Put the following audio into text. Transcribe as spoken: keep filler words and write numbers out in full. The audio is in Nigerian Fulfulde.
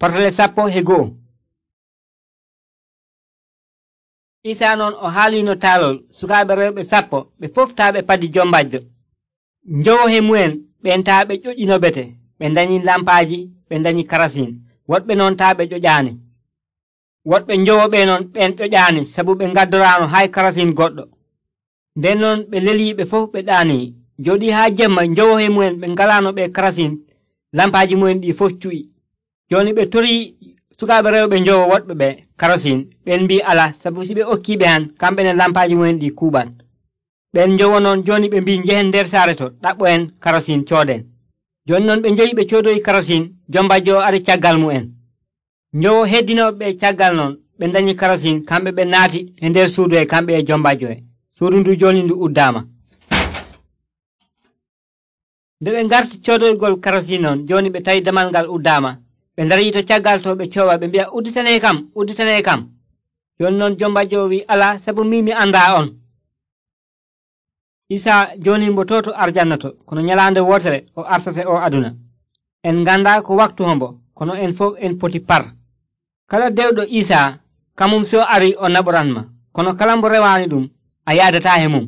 Portale sappo e go'o. Isa non o haalino taalol sukaaɓe rewɓe sappo ɓe fof taa ɓe padi jombajjo. Njowo he mu'en ɓen taa ɓe ƴoƴinobete, ɓe ndañi lampaaji, ɓe ndañi karasin. Woɗɓe non taa ɓe ƴoƴaani. Woɗɓe njowoɓe non ɓen ƴoƴaani sabu ɓe ngaddoraano hay karasin goɗɗo. Nden non ɓe leliiɓe fof ɓe ɗaanii. Jooɗii haa jemma njowo he mu'en ɓe ngalaano ɓe karasin, lampaaji mu'en ɗi fof cu'i. Jooni ɓe torii sukaaɓe rewɓe njowo woɗɓe ɓe karasin, ɓen mbii ala sabu si ɓe okkiiɓe han kamɓe ne lampaaji mu'en ɗi kuuɓan. Ɓen njowo non jooni ɓe mbii njehen nder saare to ɗaɓɓo'en karasin cooden. Jooni non ɓe njoyi ɓe coodoyi karasin, jombajjo o ari caggal mu'en. Njowo heddinoɓe ɓe caggal non ɓe ndañi karasin, kamɓe ɓe naati e nder suudu e kamɓe e jombajjo e. Suudu ndu jooni ndu uddaama. Nde ɓe ngarti coodoygol karasin non, jooni ɓe tawi damal ngal uddaama. Ɓe ndarii to caggal to ɓe coowa ɓe mbi'a udditanee kam, udditanee kam. Jooni non jombajjo o wi'i ala sabu min mi anndaa on. Isaa jooni mbo to to arjanna to, kono nyalaande wootere o artate o aduna. En ngandaa ko waktu hombo, kono en fof en poti par. Kala dewɗo Isaa kamum so ari o naɓoranma, kono kala mbo rewaani ɗum a yaadataa he mum.